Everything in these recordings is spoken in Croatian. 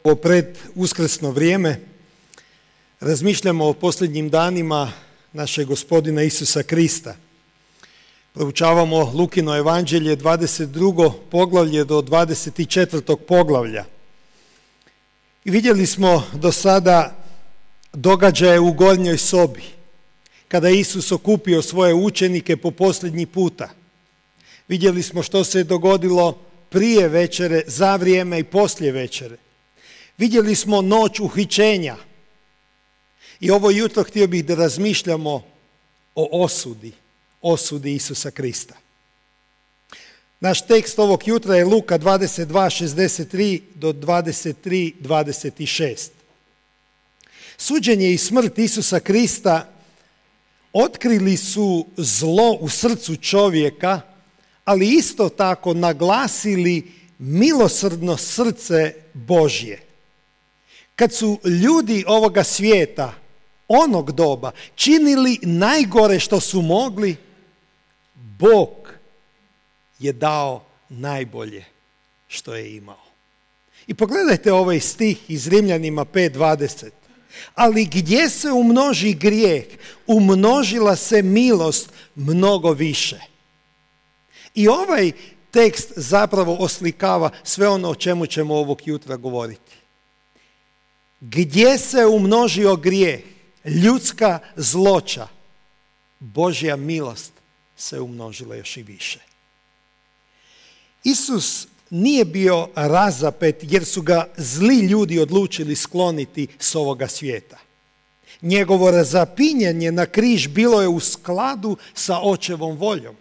Ovo pred uskrsno vrijeme razmišljamo o posljednjim danima našeg Gospodina Isusa Krista. Proučavamo Lukino evanđelje 22. poglavlje do 24. poglavlja. I vidjeli smo do sada događaje u gornjoj sobi, kada je Isus okupio svoje učenike po posljednji puta. Vidjeli smo što se je dogodilo prije večere, za vrijeme i poslije večere. Vidjeli smo noć uhićenja. I ovo jutro htio bih da razmišljamo o osudi Isusa Krista. Naš tekst ovog jutra je Luka 22:63 do 23:26. Suđenje i smrt Isusa Krista otkrili su zlo u srcu čovjeka, ali isto tako naglasili milosrdno srce Božje. Kad su ljudi ovoga svijeta, onog doba, činili najgore što su mogli, Bog je dao najbolje što je imao. I pogledajte ovaj stih iz Rimljanima 5:20. Ali gdje se umnoži grijeh, umnožila se milost mnogo više. I ovaj tekst zapravo oslikava sve ono o čemu ćemo ovog jutra govoriti. Gdje se umnožio grijeh, ljudska zloća, Božja milost se umnožila još i više. Isus nije bio razapet jer su ga zli ljudi odlučili skloniti s ovoga svijeta. Njegovo razapinjanje na križ bilo je u skladu sa očevom voljom.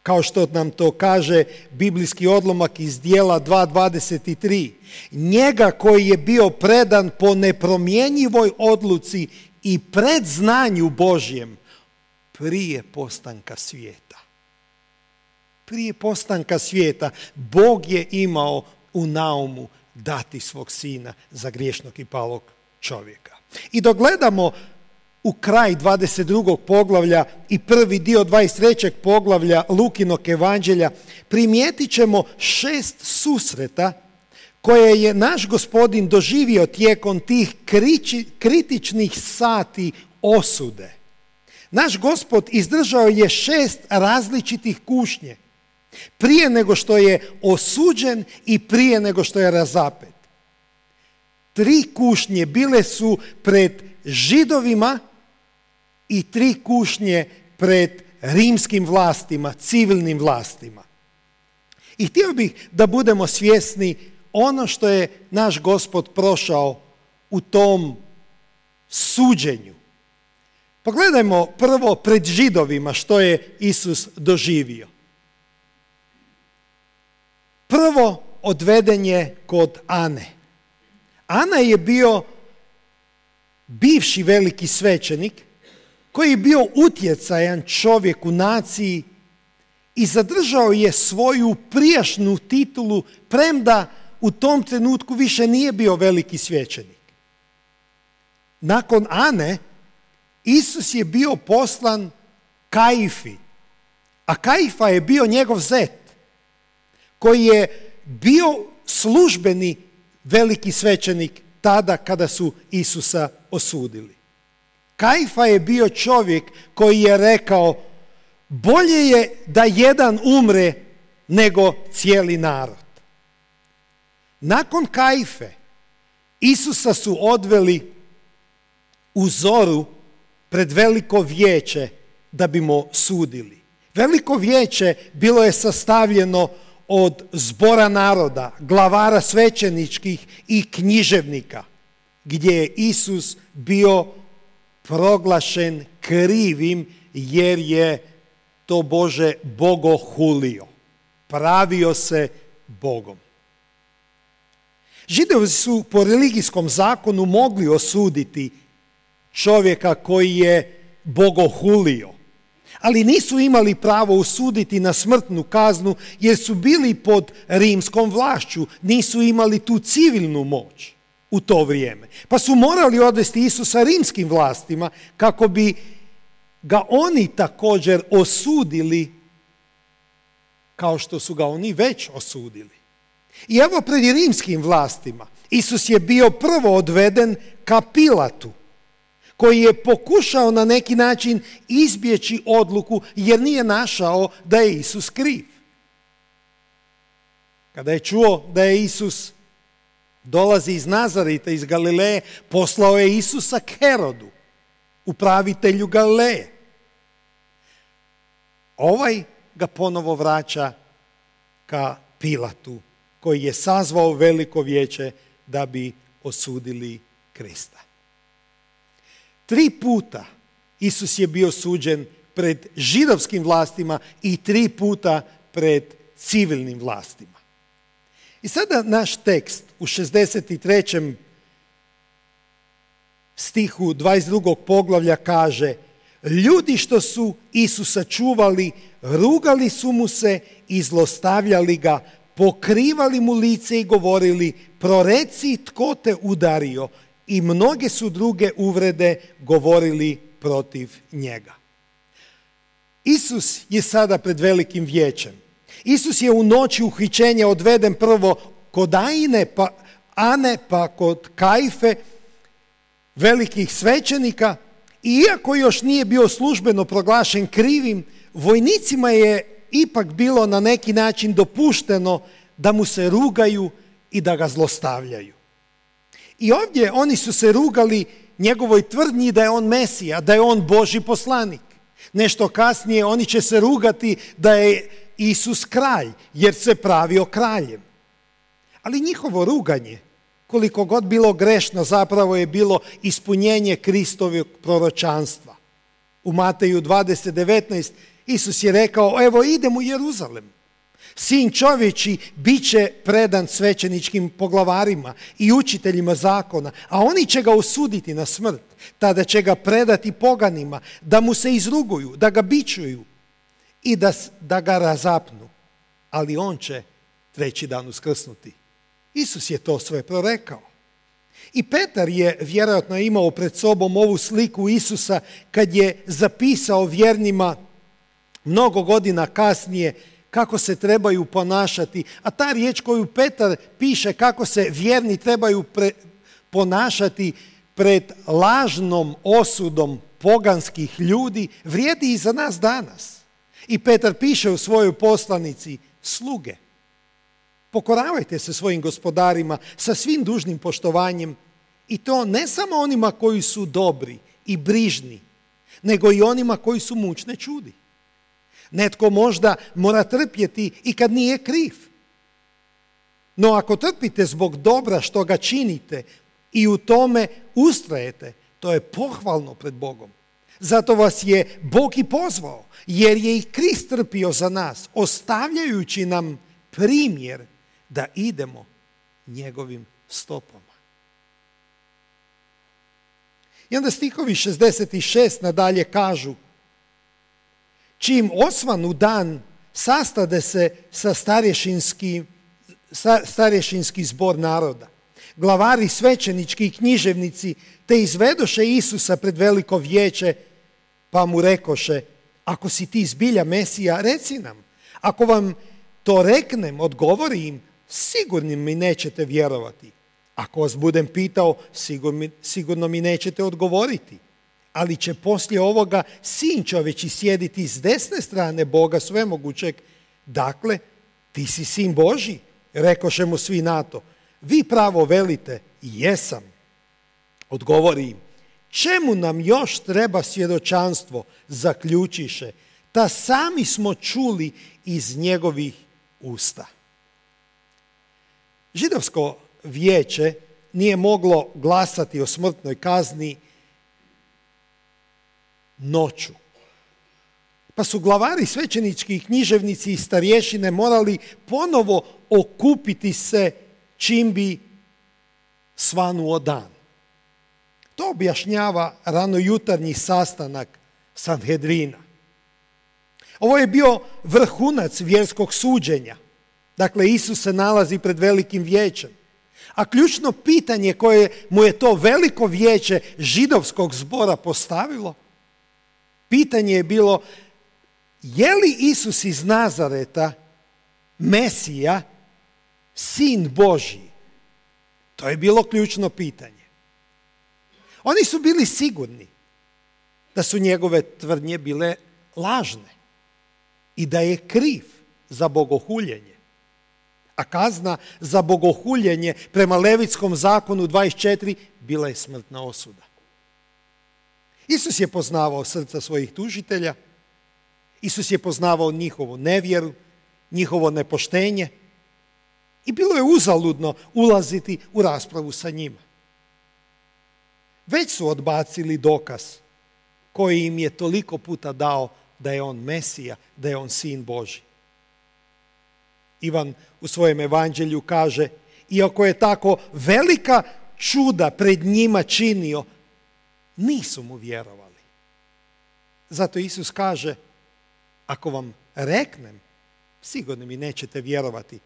Kao što nam to kaže biblijski odlomak iz Djela 2:23. Njega koji je bio predan po nepromjenjivoj odluci i predznanju Božjem prije postanka svijeta. Prije postanka svijeta Bog je imao u naumu dati svog sina za griješnog i palog čovjeka. I dok gledamo u kraj 22. poglavlja i prvi dio 23. poglavlja Lukinog evanđelja, primijetit ćemo 6 susreta koje je naš Gospodin doživio tijekom tih kritičnih sati osude. Naš Gospod izdržao je 6 različitih kušnje prije nego što je osuđen i prije nego što je razapet. 3 kušnje bile su pred Židovima i 3 kušnje pred rimskim vlastima, civilnim vlastima. I htio bih da budemo svjesni ono što je naš Gospod prošao u tom suđenju. Pogledajmo prvo pred Židovima što je Isus doživio. Prvo odveden je kod Ane. Ana je bio bivši veliki svećenik koji je bio utjecajan čovjek u naciji i zadržao je svoju prijašnju titulu, premda u tom trenutku više nije bio veliki svećenik. Nakon Ane, Isus je bio poslan Kaifi, a Kaifa je bio njegov zet, koji je bio službeni veliki svećenik tada kada su Isusa osudili. Kaifa je bio čovjek koji je rekao: bolje je da jedan umre nego cijeli narod. Nakon Kaife Isusa su odveli u zoru pred veliko vijeće da bi mu sudili. Veliko vijeće bilo je sastavljeno od zbora naroda, glavara svećeničkih i književnika, gdje je Isus bio proglašen krivim jer je to Bože bogohulio. Pravio se Bogom. Židovi su po religijskom zakonu mogli osuditi čovjeka koji je bogohulio, ali nisu imali pravo osuditi na smrtnu kaznu jer su bili pod rimskom vlašću, nisu imali tu civilnu moć u to vrijeme. Pa su morali odvesti Isusa rimskim vlastima kako bi ga oni također osudili kao što su ga oni već osudili. I evo pred rimskim vlastima Isus je bio prvo odveden ka Pilatu, koji je pokušao na neki način izbjeći odluku jer nije našao da je Isus kriv. Kada je čuo da je Isus dolazi iz Nazareta, iz Galileje, poslao je Isusa k Herodu, upravitelju Galileje. Ovaj ga ponovo vraća ka Pilatu, koji je sazvao veliko vijeće da bi osudili Krista. 3 puta Isus je bio suđen pred židovskim vlastima i 3 puta pred civilnim vlastima. I sada naš tekst u 63. stihu 22. poglavlja kaže: ljudi što su Isusa čuvali, rugali su mu se i zlostavljali ga, pokrivali mu lice i govorili: proreci tko te udario, i mnoge su druge uvrede govorili protiv njega. Isus je sada pred velikim vijećem. Isus je u noći uhićenja odveden prvo kod Ane, pa kod Kajfe, velikih svećenika, i iako još nije bio službeno proglašen krivim, vojnicima je ipak bilo na neki način dopušteno da mu se rugaju i da ga zlostavljaju. I ovdje oni su se rugali njegovoj tvrdnji da je on Mesija, da je on Božji poslanik. Nešto kasnije oni će se rugati da je Isus kralj, jer se pravio kraljem. Ali njihovo ruganje, koliko god bilo grešno, zapravo je bilo ispunjenje Kristovog proročanstva. U Mateju 20:19 Isus je rekao: evo idem u Jeruzalem. Sin čovječji bit će predan svećeničkim poglavarima i učiteljima zakona, a oni će ga osuditi na smrt. Tada će ga predati poganima, da mu se izruguju, da ga bičuju i da ga razapnu. Ali on će 3. dan uskrsnuti. Isus je to sve prorekao. I Petar je vjerojatno imao pred sobom ovu sliku Isusa kad je zapisao vjernima mnogo godina kasnije kako se trebaju ponašati. A ta riječ koju Petar piše kako se vjerni trebaju ponašati pred lažnom osudom poganskih ljudi, vrijedi i za nas danas. I Petar piše u svojoj poslanici: sluge, pokoravajte se svojim gospodarima sa svim dužnim poštovanjem, i to ne samo onima koji su dobri i brižni, nego i onima koji su mučne čudi. Netko možda mora trpjeti i kad nije kriv. No ako trpite zbog dobra što ga činite i u tome ustrajete, to je pohvalno pred Bogom. Zato vas je Bog i pozvao, jer je i Krist trpio za nas, ostavljajući nam primjer da idemo njegovim stopama. I onda stihovi 66 nadalje kažu: čim osvanu dan, sastade se sa starješinski zbor naroda, glavari svećenički i književnici, te izvedoše Isusa pred veliko vijeće, pa mu rekoše: ako si ti zbilja Mesija, reci nam. Ako vam to reknem, odgovori im, sigurno mi nećete vjerovati. Ako vas budem pitao, sigurno mi nećete odgovoriti. Ali će poslije ovoga Sin čovječji sjediti s desne strane Boga svemogućeg. Dakle, ti si Sin Božji, rekoše mu svi na to. Vi pravo velite: jesam. Odgovori im: čemu nam još treba svjedočanstvo, zaključiše, ta sami smo čuli iz njegovih usta. Židovsko vijeće nije moglo glasati o smrtnoj kazni noću. Pa su glavari svećenički i književnici i starješine morali ponovo okupiti se čim bi svanuo dan. To objašnjava ranojutarnji sastanak Sanhedrina. Ovo je bio vrhunac vjerskog suđenja. Dakle, Isus se nalazi pred velikim vijećem. A ključno pitanje koje mu je to veliko vijeće židovskog zbora postavilo, pitanje je bilo: je li Isus iz Nazareta Mesija, sin Božji? To je bilo ključno pitanje. Oni su bili sigurni da su njegove tvrdnje bile lažne i da je kriv za bogohuljenje. A kazna za bogohuljenje prema Levitskom zakonu 24 bila je smrtna osuda. Isus je poznavao srca svojih tužitelja, Isus je poznavao njihovu nevjeru, njihovo nepoštenje i bilo je uzaludno ulaziti u raspravu sa njima. Već su odbacili dokaz koji im je toliko puta dao da je on Mesija, da je on sin Božji. Ivan u svojem evanđelju kaže, iako je tako velika čuda pred njima činio, nisu mu vjerovali. Zato Isus kaže, ako vam reknem, sigurno mi nećete vjerovati.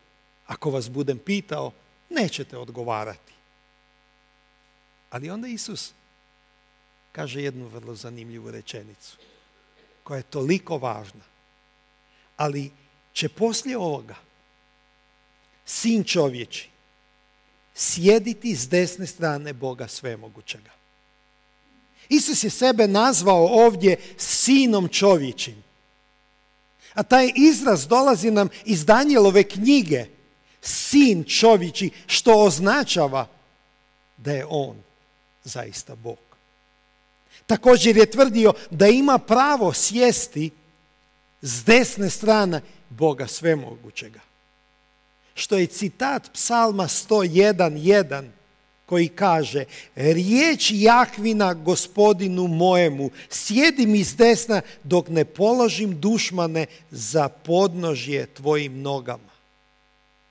Ako vas budem pitao, nećete odgovarati. Ali onda Isus kaže jednu vrlo zanimljivu rečenicu, koja je toliko važna. Ali će poslije ovoga sin čovječi sjediti s desne strane Boga svemogućega. Isus je sebe nazvao ovdje sinom čovječim. A taj izraz dolazi nam iz Danijelove knjige, sin čovječi, što označava da je on zaista Bog. Također je tvrdio da ima pravo sjesti s desne strane Boga svemogućega. Što je citat Psalma 101:1 koji kaže, riječ Jahvina gospodinu mojemu, sjedi mi s desna dok ne položim dušmane za podnožje tvojim nogama.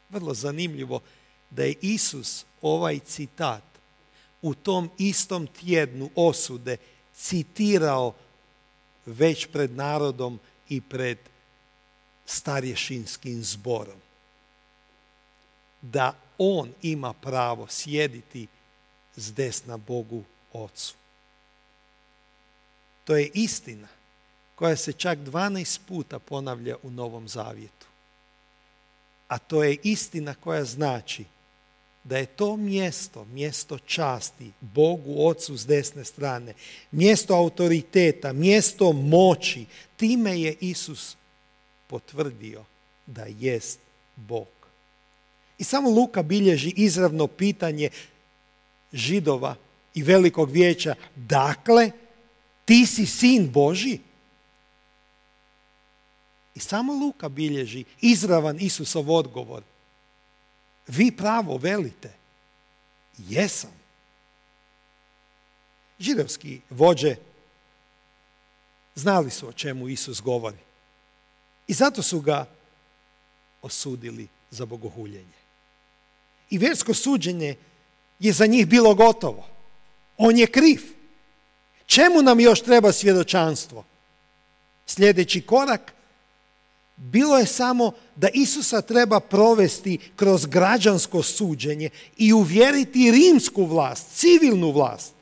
Vrlo zanimljivo da je Isus ovaj citat u tom istom tjednu osude citirao već pred narodom i pred starješinskim zborom. Da on ima pravo sjediti s desna Bogu Ocu. To je istina koja se čak 12 puta ponavlja u Novom Zavjetu. A to je istina koja znači da je to mjesto časti Bogu Ocu s desne strane, mjesto autoriteta, mjesto moći. Time je Isus potvrdio da jest Bog. I samo Luka bilježi izravno pitanje Židova i Velikog vijeća, dakle, ti si sin Božji? I samo Luka bilježi izravan Isusov odgovor. Vi pravo velite, jesam. Židovski vođe znali su o čemu Isus govori. I zato su ga osudili za bogohuljenje. I vjersko suđenje je za njih bilo gotovo. On je kriv. Čemu nam još treba svjedočanstvo? Sljedeći korak bilo je samo da Isusa treba provesti kroz građansko suđenje i uvjeriti rimsku vlast, civilnu vlast,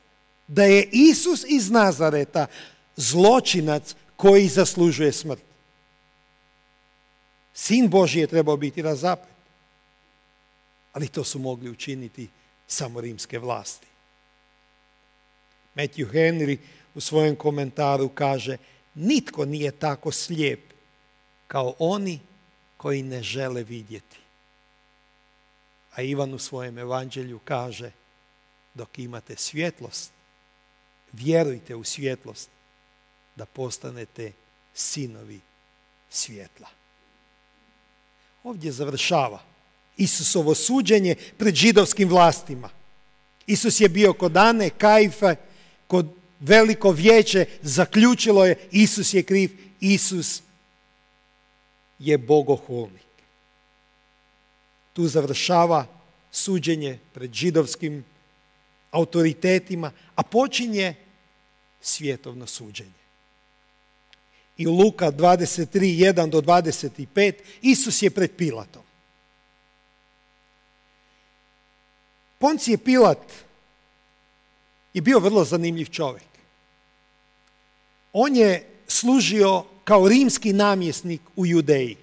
da je Isus iz Nazareta zločinac koji zaslužuje smrt. Sin Božji je trebao biti razapet. Ali to su mogli učiniti samo rimske vlasti. Matthew Henry u svojem komentaru kaže, nitko nije tako slijep kao oni koji ne žele vidjeti. A Ivan u svojem evanđelju kaže, dok imate svjetlost, vjerujte u svjetlost da postanete sinovi svjetla. Ovdje završava Isusovo suđenje pred židovskim vlastima. Isus je bio kod Ane, Kajfe, kod Veliko vijeće, zaključilo je Isus je kriv, Isus je bogohulnik. Tu završava suđenje pred židovskim autoritetima, a počinje svjetovno suđenje. I u Luka 23:1-25 Isus je pred Pilatom. Poncije Pilat je bio vrlo zanimljiv čovjek. On je služio kao rimski namjesnik u Judeji.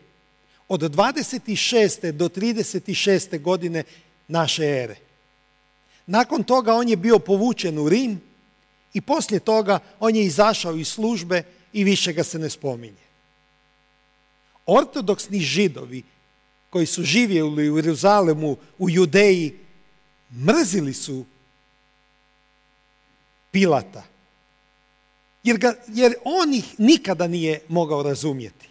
od 26. do 36. godine naše ere. Nakon toga on je bio povučen u Rim i poslije toga on je izašao iz službe i više ga se ne spominje. Ortodoksni Židovi koji su živjeli u Jeruzalemu, u Judeji, mrzili su Pilata, jer on ih nikada nije mogao razumjeti.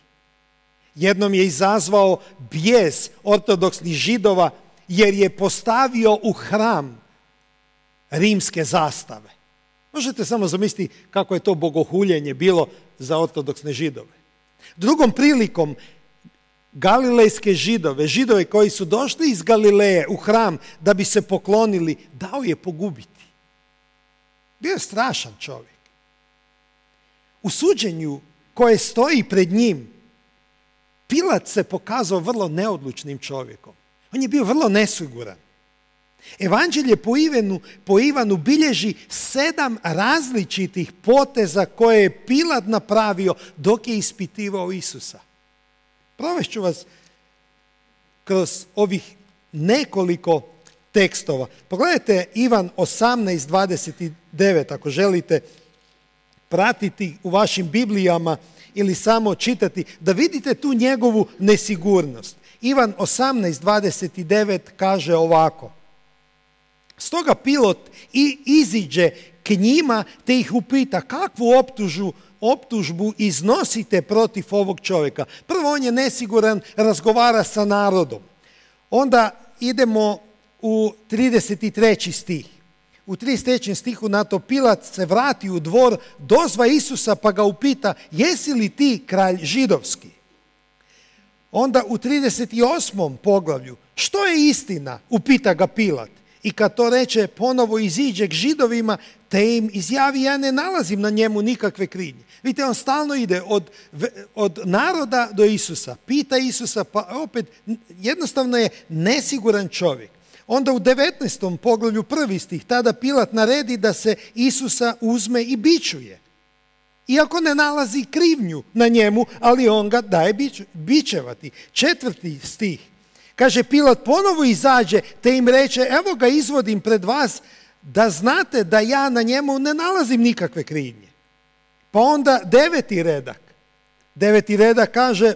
Jednom je izazvao bijes ortodoksnih Židova jer je postavio u hram rimske zastave. Možete samo zamisliti kako je to bogohuljenje bilo za ortodoksne Židove. Drugom prilikom galilejske Židove koji su došli iz Galileje u hram da bi se poklonili, dao je pogubiti. Bio je strašan čovjek. U suđenju koje stoji pred njim, Pilat se pokazao vrlo neodlučnim čovjekom. On je bio vrlo nesiguran. Evanđelje po Ivanu bilježi 7 različitih poteza koje je Pilat napravio dok je ispitivao Isusa. Provešću vas kroz ovih nekoliko tekstova. Pogledajte Ivan 18:29 ako želite pratiti u vašim Biblijama ili samo čitati, da vidite tu njegovu nesigurnost. Ivan 18:29 kaže ovako: Stoga Pilot iziđe k njima te ih upita kakvu optužbu iznosite protiv ovog čovjeka. Prvo, on je nesiguran, razgovara sa narodom. Onda idemo u 33. stih. U 33. stihu na to Pilat se vrati u dvor, dozva Isusa pa ga upita: jesi li ti kralj židovski? Onda u 38. poglavlju: što je istina? Upita ga Pilat. I kad to reče, ponovo iziđe k Židovima te im izjavi: ja ne nalazim na njemu nikakve krivnje. Vidite, on stalno ide od naroda do Isusa. Pita Isusa, pa opet jednostavno je nesiguran čovjek. Onda u 19. poglavlju 1. stih, tada Pilat naredi da se Isusa uzme i bičuje. Iako ne nalazi krivnju na njemu, ali on ga daje bičevati. 4. stih. Kaže, Pilat ponovo izađe te im reče: evo ga izvodim pred vas da znate da ja na njemu ne nalazim nikakve krivnje. Pa onda 9. redak. 9. redak kaže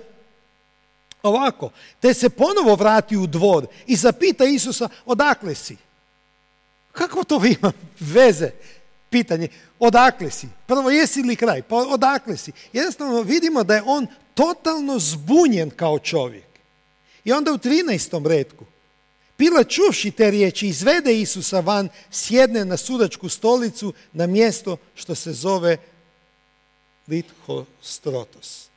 ovako: te se ponovo vrati u dvor i zapita Isusa: odakle si? Kako to ima veze? Pitanje, odakle si? Prvo, jesi li kraj? Pa odakle si? Jednostavno vidimo da je on totalno zbunjen kao čovjek. I onda u 13. retku Pilat, čuvši te riječi, izvede Isusa van, sjedne na sudačku stolicu na mjesto što se zove Lithostrotos.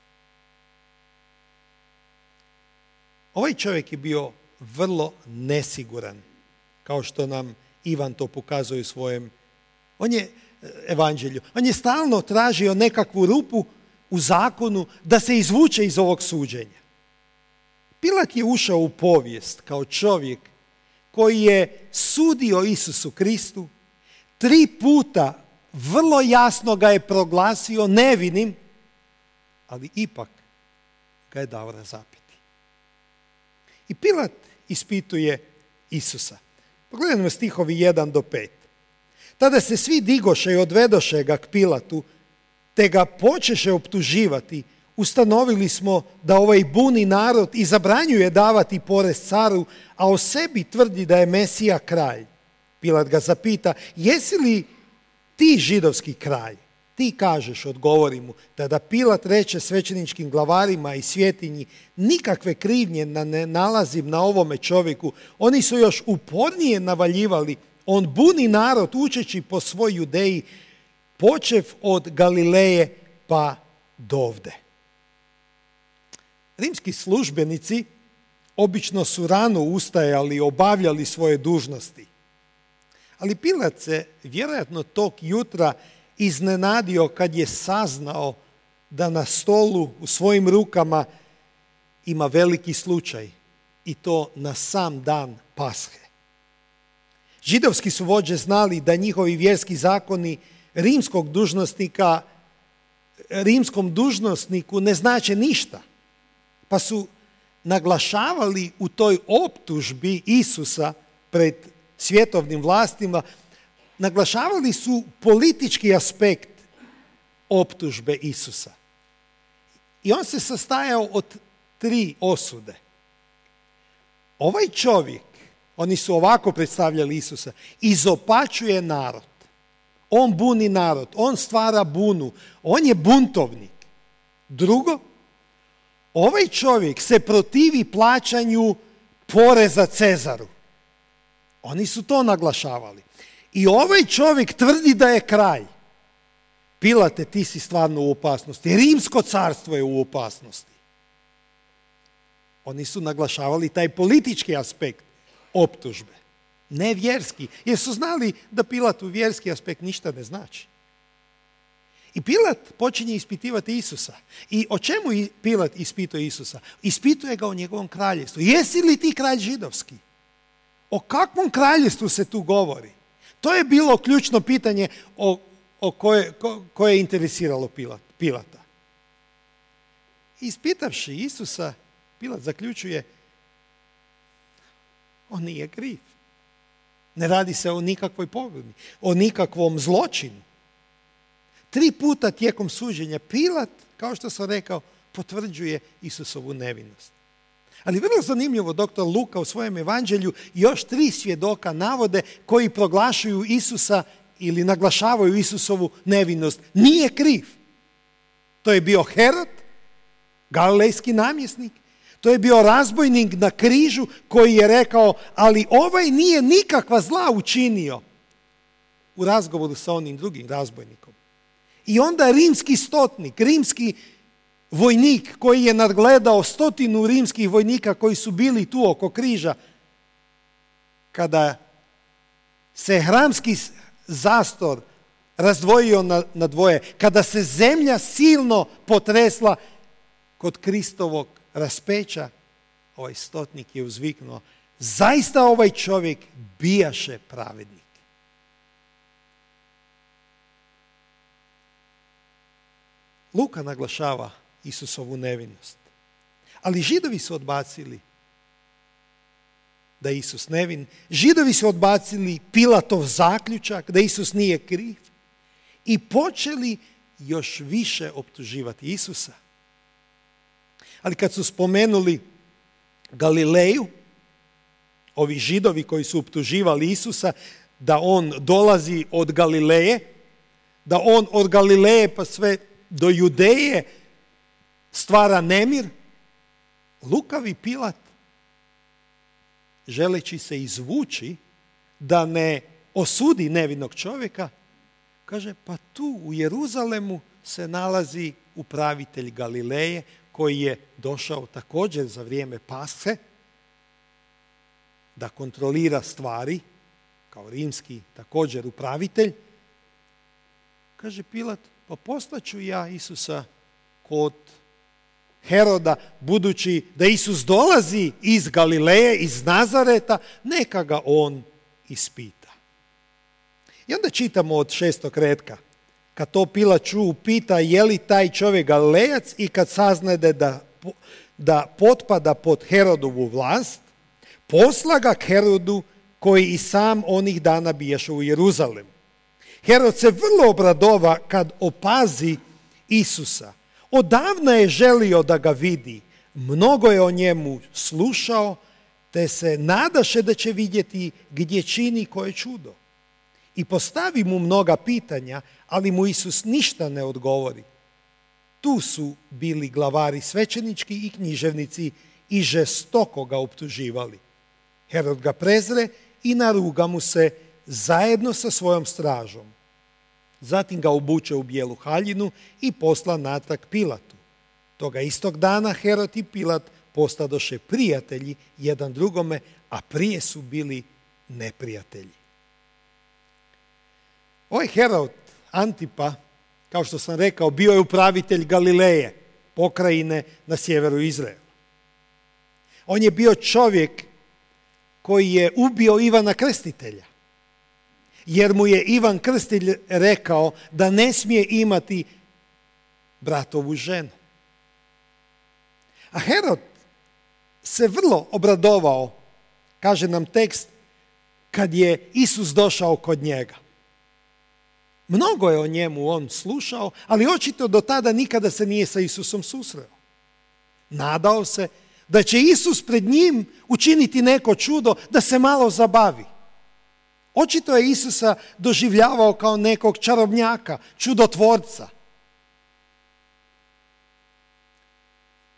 Ovaj čovjek je bio vrlo nesiguran, kao što nam Ivan to pokazuje u svojem evanđelju. On je stalno tražio nekakvu rupu u zakonu da se izvuče iz ovog suđenja. Pilat je ušao u povijest kao čovjek koji je sudio Isusu Kristu, 3 puta vrlo jasno ga je proglasio nevinim, ali ipak ga je dao razapeti. I Pilat ispituje Isusa. Pogledajmo stihovi 1 do 5. Tada se svi digoše i odvedoše ga k Pilatu, te ga počeše optuživati: ustanovili smo da ovaj buni narod i zabranjuje davati porez caru, a o sebi tvrdi da je Mesija kralj. Pilat ga zapita: jesi li ti židovski kralj? Ti kažeš, odgovori mu. Tada Pilat reče svećeničkim glavarima i svjetinji: nikakve krivnje ne nalazim na ovome čovjeku. Oni su još upornije navaljivali. On buni narod učeći po svoj Judeji, počev od Galileje pa dovde. Rimski službenici obično su rano ustajali, obavljali svoje dužnosti. Ali Pilat se vjerojatno tog jutra iznenadio kad je saznao da na stolu u svojim rukama ima veliki slučaj, i to na sam dan Pashe. Židovski su vođe znali da njihovi vjerski zakoni rimskom dužnosniku ne znače ništa, pa su naglašavali u toj optužbi Isusa pred svjetovnim vlastima, naglašavali su politički aspekt optužbe Isusa. I on se sastajao od 3 osude. Ovaj čovjek, oni su ovako predstavljali Isusa, izopačuje narod. On buni narod, on stvara bunu, on je buntovnik. Drugo, ovaj čovjek se protivi plaćanju poreza Cezaru. Oni su to naglašavali. I ovaj čovjek tvrdi da je kralj. Pilate, ti si stvarno u opasnosti. Rimsko carstvo je u opasnosti. Oni su naglašavali taj politički aspekt optužbe. Ne vjerski. Jer su znali da Pilatu vjerski aspekt ništa ne znači. I Pilat počinje ispitivati Isusa. I o čemu Pilat ispituje Isusa? Ispituje ga o njegovom kraljevstvu. Jesi li ti kralj židovski? O kakvom kraljevstvu se tu govori? To je bilo ključno pitanje koje je interesiralo Pilata. Ispitavši Isusa, Pilat zaključuje, on nije kriv. Ne radi se o nikakvoj pogodi, o nikakvom zločinu. 3 puta tijekom suđenja Pilat, kao što sam rekao, potvrđuje Isusovu nevinost. Ali vrlo zanimljivo, doktor Luka u svojem evanđelju još 3 svjedoka navode koji proglašuju Isusa ili naglašavaju Isusovu nevinost. Nije kriv. To je bio Herod, galilejski namjesnik. To je bio razbojnik na križu koji je rekao, ali ovaj nije nikakva zla učinio, u razgovoru sa onim drugim razbojnikom. I onda rimski stotnik, rimski vojnik koji je nadgledao 100 rimskih vojnika koji su bili tu oko križa, kada se hramski zastor razdvojio na dvoje, kada se zemlja silno potresla kod Kristovog raspeća, ovaj stotnik je uzviknuo, zaista ovaj čovjek bijaše pravednik. Luka naglašava Isusovu nevinost. Ali Židovi su odbacili da je Isus nevin. Židovi su odbacili Pilatov zaključak da Isus nije kriv i počeli još više optuživati Isusa. Ali kad su spomenuli Galileju, ovi Židovi koji su optuživali Isusa da on dolazi od Galileje, da on od Galileje pa sve do Judeje stvara nemir, lukavi Pilat, želeći se izvući da ne osudi nevinog čovjeka, kaže, pa tu u Jeruzalemu se nalazi upravitelj Galileje koji je došao također za vrijeme Pashe da kontrolira stvari, kao rimski također upravitelj. Kaže Pilat, pa poslaću ja Isusa kod Heroda, budući da Isus dolazi iz Galileje, iz Nazareta, neka ga on ispita. I onda čitamo od 6. retka. Kad to Pilat pita je li taj čovjek Galilejac i kad saznade da potpada pod Herodovu vlast, posla ga k Herodu koji i sam onih dana bijaše u Jeruzalemu. Herod se vrlo obradova kad opazi Isusa. Odavna je želio da ga vidi, mnogo je o njemu slušao, te se nadaše da će vidjeti gdje čini koje čudo. I postavi mu mnoga pitanja, ali mu Isus ništa ne odgovori. Tu su bili glavari svećenički i književnici i žestoko ga optuživali. Herod ga prezre i naruga mu se zajedno sa svojom stražom. Zatim ga obuče u bijelu haljinu i posla natrag Pilatu. Toga istog dana Herod i Pilat postadoše prijatelji jedan drugome, a prije su bili neprijatelji. Ovaj Herod Antipa, kao što sam rekao, bio je upravitelj Galileje, pokrajine na sjeveru Izraela. On je bio čovjek koji je ubio Ivana Krstitelja, jer mu je Ivan Krstitelj rekao da ne smije imati bratovu ženu. A Herod se vrlo obradovao, kaže nam tekst, kad je Isus došao kod njega. Mnogo je o njemu on slušao, ali očito do tada nikada se nije sa Isusom susreo. Nadao se da će Isus pred njim učiniti neko čudo, da se malo zabavi. Očito je Isusa doživljavao kao nekog čarobnjaka, čudotvorca.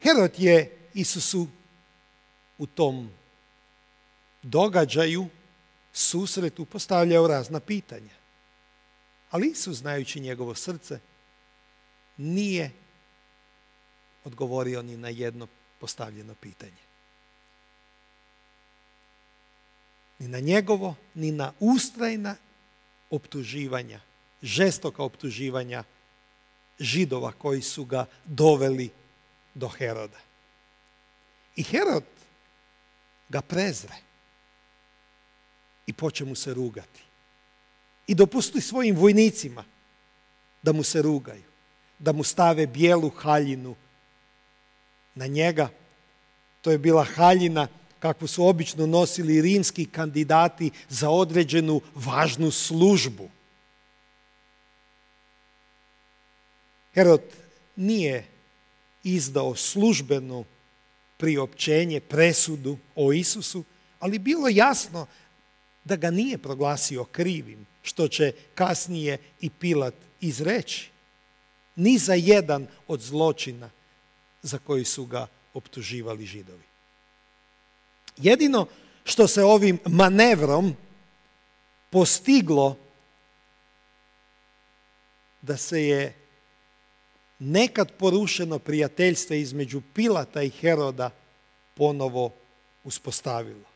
Herod je Isusu u tom događaju, susretu, postavljao razna pitanja. Ali Isus, znajući njegovo srce, nije odgovorio ni na jedno postavljeno pitanje. Ni na njegovo, ni na ustrajna optuživanja, žestoka optuživanja Židova koji su ga doveli do Heroda. I Herod ga prezre i poče mu se rugati. I dopusti svojim vojnicima da mu se rugaju, da mu stave bijelu haljinu na njega. To je bila haljina kakvu su obično nosili rimski kandidati za određenu važnu službu. Herod nije izdao službeno priopćenje, presudu o Isusu, ali bilo jasno da ga nije proglasio krivim, što će kasnije i Pilat izreći. Ni za jedan od zločina za koji su ga optuživali Židovi. Jedino što se ovim manevrom postiglo da se je nekad porušeno prijateljstvo između Pilata i Heroda ponovo uspostavilo.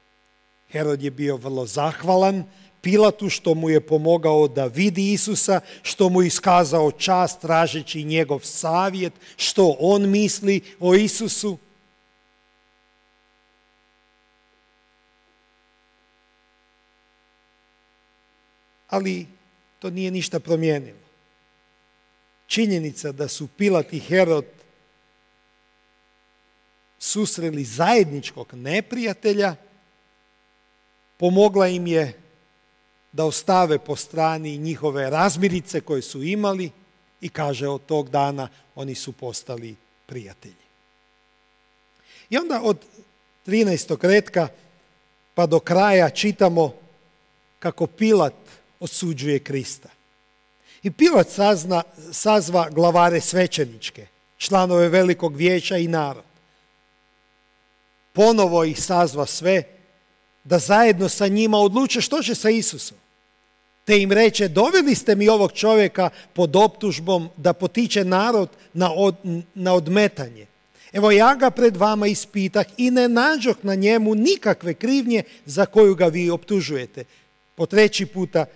Herod je bio vrlo zahvalan Pilatu što mu je pomogao da vidi Isusa, što mu je iskazao čast tražeći njegov savjet, što on misli o Isusu. Ali to nije ništa promijenilo. Činjenica da su Pilat i Herod susreli zajedničkog neprijatelja pomogla im je da ostave po strani njihove razmirice koje su imali i kaže od tog dana oni su postali prijatelji. I onda od 13. retka pa do kraja čitamo kako Pilat osuđuje Krista. I Pilat sazva glavare svećeničke, članove velikog vijeća i narod. Ponovo ih sazva sve da zajedno sa njima odluče što će sa Isusom. Te im reče, doveli ste mi ovog čovjeka pod optužbom da potiče narod na odmetanje. Evo ja ga pred vama ispitah i ne nađoh na njemu nikakve krivnje za koju ga vi optužujete. Po treći puta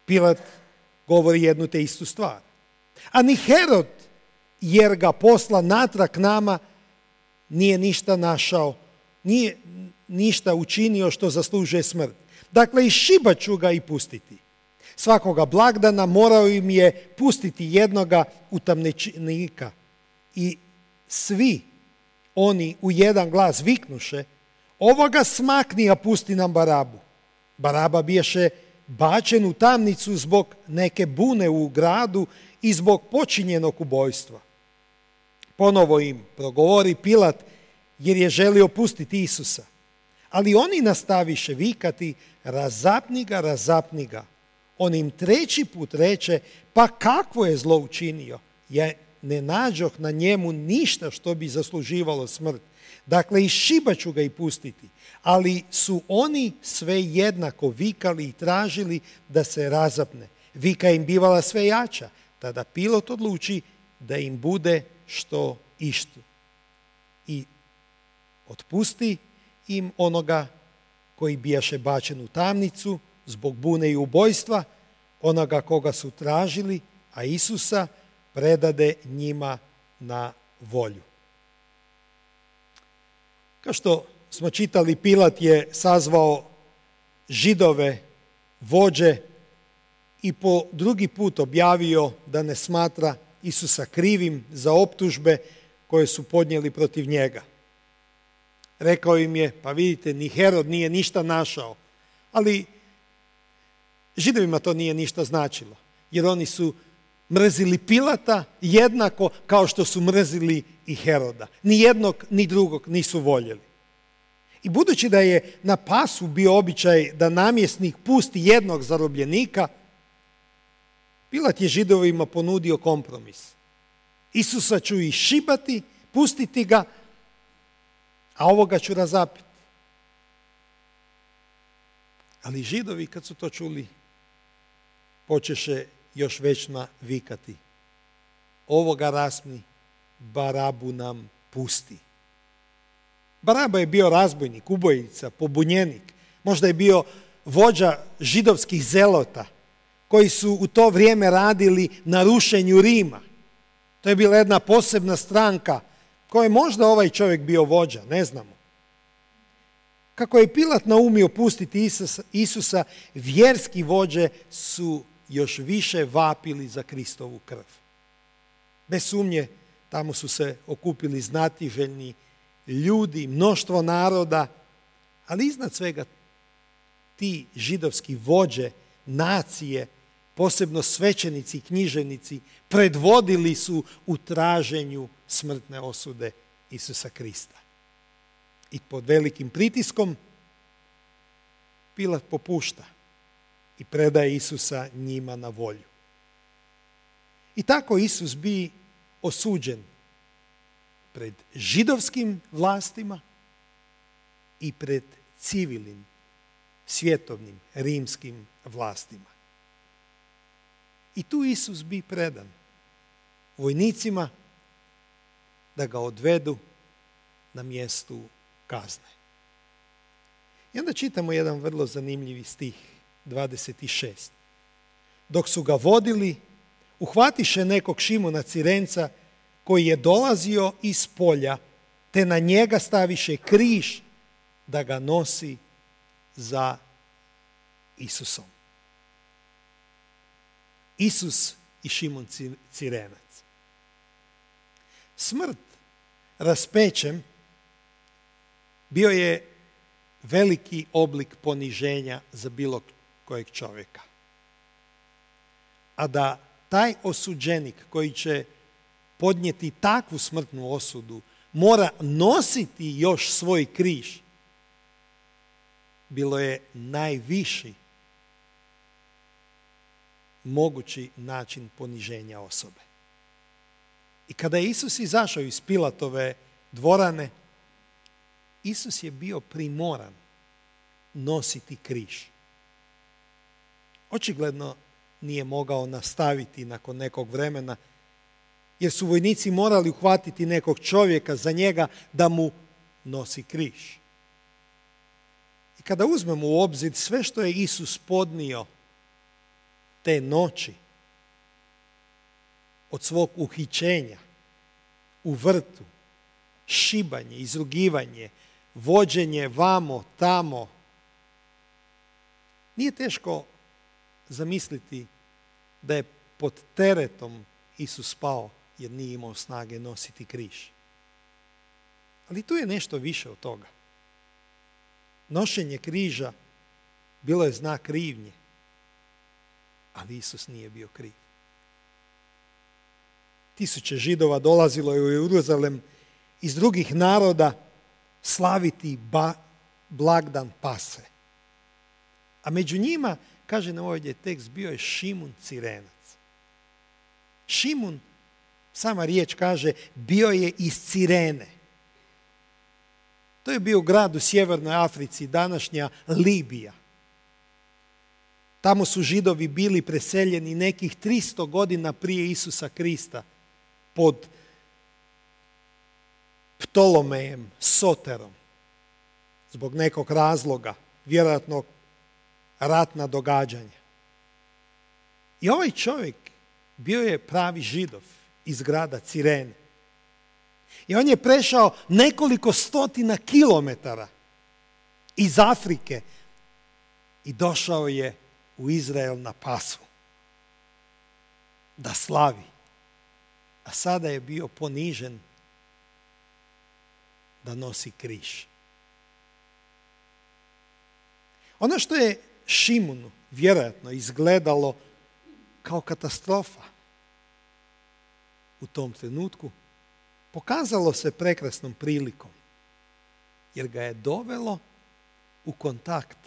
Pilat govori jednu te istu stvar. A ni Herod, jer ga posla natrag nama, nije ništa našao, nije ništa učinio što zaslužuje smrt. Dakle, i šibat ću ga i pustiti. Svakoga blagdana morao im je pustiti jednoga utamničenika. I svi oni u jedan glas viknuše, ovoga smakni, a pusti nam Barabu. Baraba biješe bačen u tamnicu zbog neke bune u gradu i zbog počinjenog ubojstva. Ponovo im progovori Pilat jer je želio pustiti Isusa. Ali oni nastaviše vikati, razapni ga. On im treći put reče, pa kakvo je zlo učinio? Ja ne nađoh na njemu ništa što bi zasluživalo smrt. Dakle, i šibat ću ga i pustiti. Ali su oni sve jednako vikali i tražili da se razapne. Vika im bivala sve jača. Tada Pilat odluči da im bude što ištu. I otpusti im onoga koji bijaše bačen u tamnicu zbog bune i ubojstva, onoga koga su tražili, a Isusa predade njima na volju. Kao što smo čitali, Pilat je sazvao Židove, vođe i po drugi put objavio da ne smatra Isusa krivim za optužbe koje su podnijeli protiv njega. Rekao im je, pa vidite, ni Herod nije ništa našao. Ali Židovima to nije ništa značilo, jer oni su mrzili Pilata jednako kao što su mrzili i Heroda. Ni jednog, ni drugog nisu voljeli. I budući da je na Pasu bio običaj da namjesnik pusti jednog zarobljenika, Pilat je Židovima ponudio kompromis. Isusa ću išibati, pustiti ga, a ovoga ću razapiti. Ali Židovi kad su to čuli, počeše još većma vikati: ovoga rasni, Barabu nam pusti. Baraba je bio razbojnik, ubojica, pobunjenik. Možda je bio vođa židovskih zelota koji su u to vrijeme radili na rušenju Rima. To je bila jedna posebna stranka koje je možda ovaj čovjek bio vođa, ne znamo. Kako je Pilat naumio pustiti Isusa, vjerski vođe su još više vapili za Kristovu krv. Bez sumnje, tamo su se okupili znatiželjni ljudi, mnoštvo naroda, ali iznad svega ti židovski vođe, nacije, posebno svećenici i književnici, predvodili su u traženju smrtne osude Isusa Krista. I pod velikim pritiskom Pilat popušta i predaje Isusa njima na volju. I tako Isus bi osuđen pred židovskim vlastima i pred civilnim, svjetovnim, rimskim vlastima. I tu Isus bi predan vojnicima da ga odvedu na mjestu kazne. I onda čitamo jedan vrlo zanimljivi stih, 26. Dok su ga vodili, uhvatiše nekog Šimona Cirenca koji je dolazio iz polja, te na njega staviše križ da ga nosi za Isusom. Isus i Šimon Cirenac. Smrt raspećem bio je veliki oblik poniženja za bilo kojeg čovjeka. A da taj osuđenik koji će podnijeti takvu smrtnu osudu mora nositi još svoj križ, bilo je najviši mogući način poniženja osobe. I kada je Isus izašao iz Pilatove dvorane, Isus je bio primoran nositi križ. Očigledno nije mogao nastaviti nakon nekog vremena, jer su vojnici morali uhvatiti nekog čovjeka za njega da mu nosi križ. I kada uzmemo u obzir sve što je Isus podnio te noći, od svog uhićenja u vrtu, šibanje, izrugivanje, vođenje vamo, tamo, nije teško zamisliti da je pod teretom Isus pao jer nije imao snage nositi križ. Ali tu je nešto više od toga. Nošenje križa bilo je znak krivnje, ali Isus nije bio kriv. Tisuće Židova dolazilo je u Jeruzalem iz drugih naroda slaviti blagdan Pase. A među njima, kaže nam ovdje tekst, bio je Šimun Cirenac. Šimun, sama riječ kaže, bio je iz Cirene. To je bio grad u sjevernoj Africi, današnja Libija. Tamo su Židovi bili preseljeni nekih 300 godina prije Isusa Krista pod Ptolomejem, Soterom, zbog nekog razloga, vjerojatno ratna događanja. I ovaj čovjek bio je pravi Židov iz grada Cirene. I on je prešao nekoliko stotina kilometara iz Afrike i došao je u Izrael na Pasu da slavi. A sada je bio ponižen da nosi križ. Ono što je Šimunu vjerojatno izgledalo kao katastrofa u tom trenutku, pokazalo se prekrasnom prilikom, jer ga je dovelo u kontakt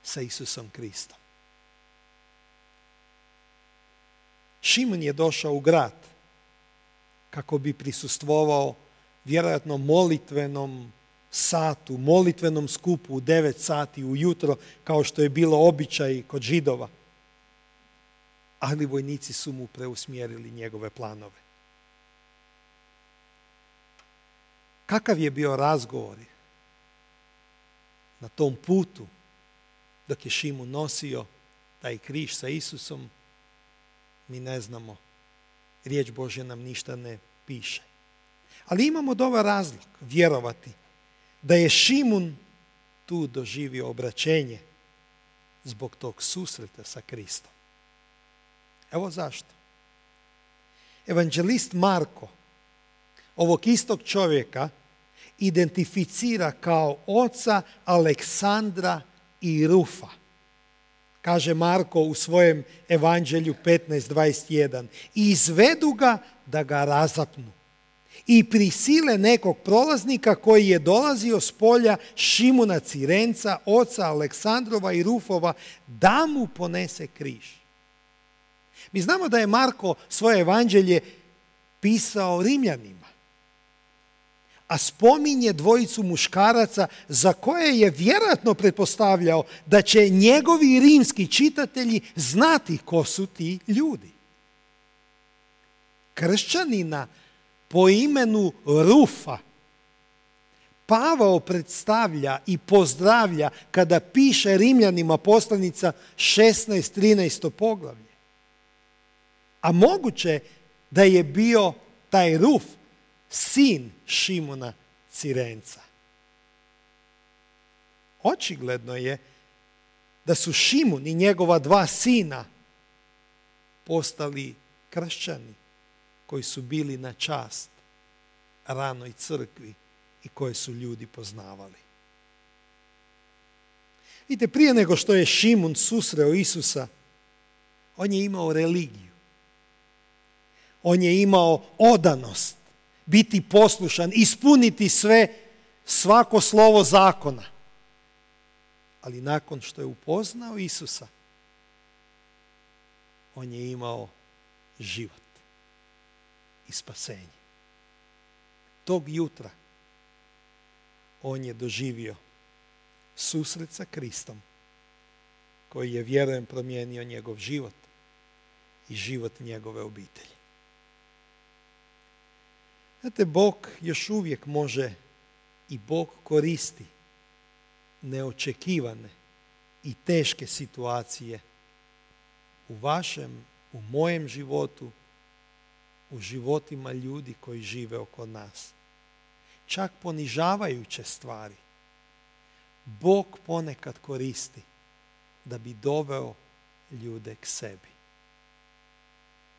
sa Isusom Kristom. Šimun je došao u grad kako bi prisustvovao vjerojatno molitvenom satu, molitvenom skupu u 9 sati ujutro, kao što je bilo običaj kod Židova. Ali vojnici su mu preusmjerili njegove planove. Kakav je bio razgovor na tom putu dok je Šimun nosio taj križ sa Isusom, mi ne znamo. Riječ Božja nam ništa ne piše. Ali imamo dobar razlog vjerovati da je Šimun tu doživio obraćenje zbog tog susreta sa Kristom. Evo zašto. Evanđelist Marko ovog istog čovjeka identificira kao oca Aleksandra i Rufa. Kaže Marko u svojem evanđelju 15:21. I izvedu ga da ga razapnu. I prisile nekog prolaznika koji je dolazio s polja Šimuna Cirenca, oca Aleksandrova i Rufova, da mu ponese križ. Mi znamo da je Marko svoje evanđelje pisao Rimljanima, a spominje dvojicu muškaraca za koje je vjerojatno pretpostavljao da će njegovi rimski čitatelji znati ko su ti ljudi. Kršćanina po imenu Rufa Pavao predstavlja i pozdravlja kada piše Rimljanima poslanica 16-13 poglavlje. A moguće da je bio taj Ruf sin Šimuna Cirenca. Očigledno je da su Šimun i njegova 2 sina postali kršćani koji su bili na čast ranoj crkvi i koje su ljudi poznavali. Vidite, prije nego što je Šimun susreo Isusa, on je imao religiju. On je imao odanost, biti poslušan, ispuniti svako slovo zakona. Ali nakon što je upoznao Isusa, on je imao život i spasenje. Tog jutra on je doživio susret sa Kristom, koji je, vjerujem, promijenio njegov život i život njegove obitelji. Znate, Bog još uvijek može i Bog koristi neočekivane i teške situacije u vašem, u mojem životu, u životima ljudi koji žive oko nas. Čak ponižavajuće stvari Bog ponekad koristi da bi doveo ljude k sebi.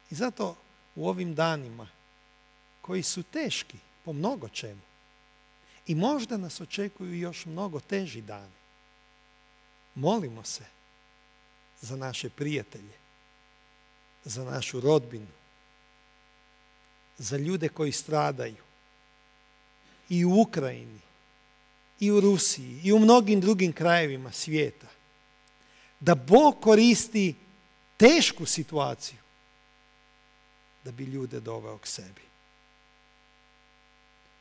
I zato u ovim danima koji su teški po mnogo čemu i možda nas očekuju još mnogo teži dani, molimo se za naše prijatelje, za našu rodbinu, za ljude koji stradaju i u Ukrajini, i u Rusiji, i u mnogim drugim krajevima svijeta, da Bog koristi tešku situaciju da bi ljude doveo k sebi.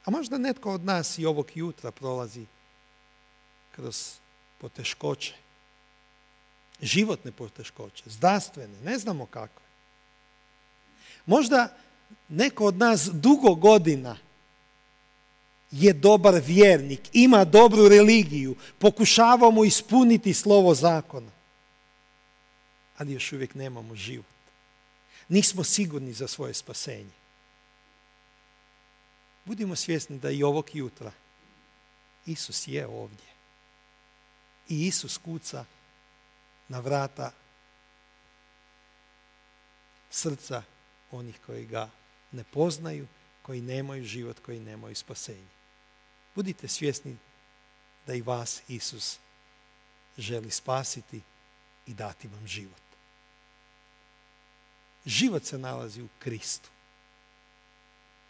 A možda netko od nas i ovog jutra prolazi kroz poteškoće, životne poteškoće, zdravstvene, ne znamo kakve. Možda neko od nas dugo godina je dobar vjernik, ima dobru religiju, pokušavamo ispuniti slovo zakona, ali još uvijek nemamo život. Nismo sigurni za svoje spasenje. Budimo svjesni da i ovog jutra Isus je ovdje. I Isus kuca na vrata srca onih koji ga ne poznaju, koji nemaju život, koji nemaju spasenje. Budite svjesni da i vas Isus želi spasiti i dati vam život. Život se nalazi u Kristu.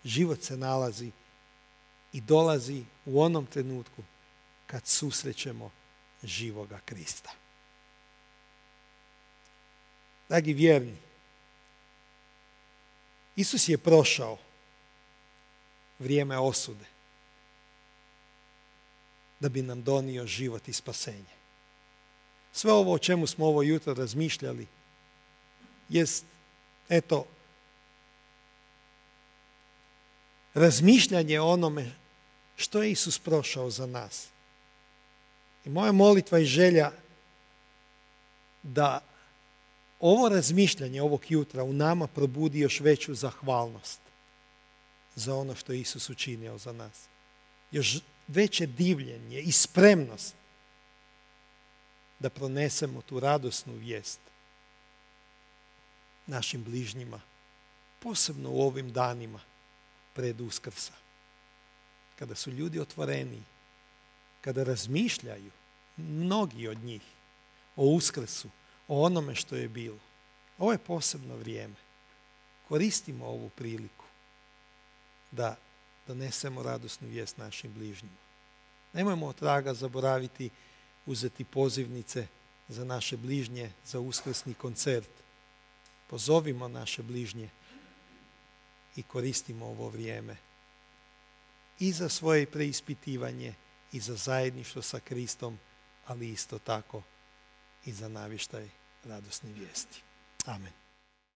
Život se nalazi i dolazi u onom trenutku kad susrećemo živoga Krista. Dragi vjerni, Isus je prošao vrijeme osude da bi nam donio život i spasenje. Sve ovo o čemu smo ovo jutro razmišljali jest, razmišljanje o onome što je Isus prošao za nas. I moja molitva i želja da ovo razmišljanje ovog jutra u nama probudi još veću zahvalnost za ono što je Isus učinio za nas. Još veće divljenje i spremnost da pronesemo tu radosnu vijest našim bližnjima, posebno u ovim danima pred Uskrsa. Kada su ljudi otvoreniji, kada razmišljaju, mnogi od njih, o Uskrsu, o onome što je bilo. Ovo je posebno vrijeme. Koristimo ovu priliku da donesemo radosnu vijest našim bližnjima. Nemojmo od traga zaboraviti uzeti pozivnice za naše bližnje, za uskrsni koncert. Pozovimo naše bližnje i koristimo ovo vrijeme i za svoje preispitivanje i za zajedništvo sa Kristom, ali isto tako i za navještaj radosne vijesti. Amen.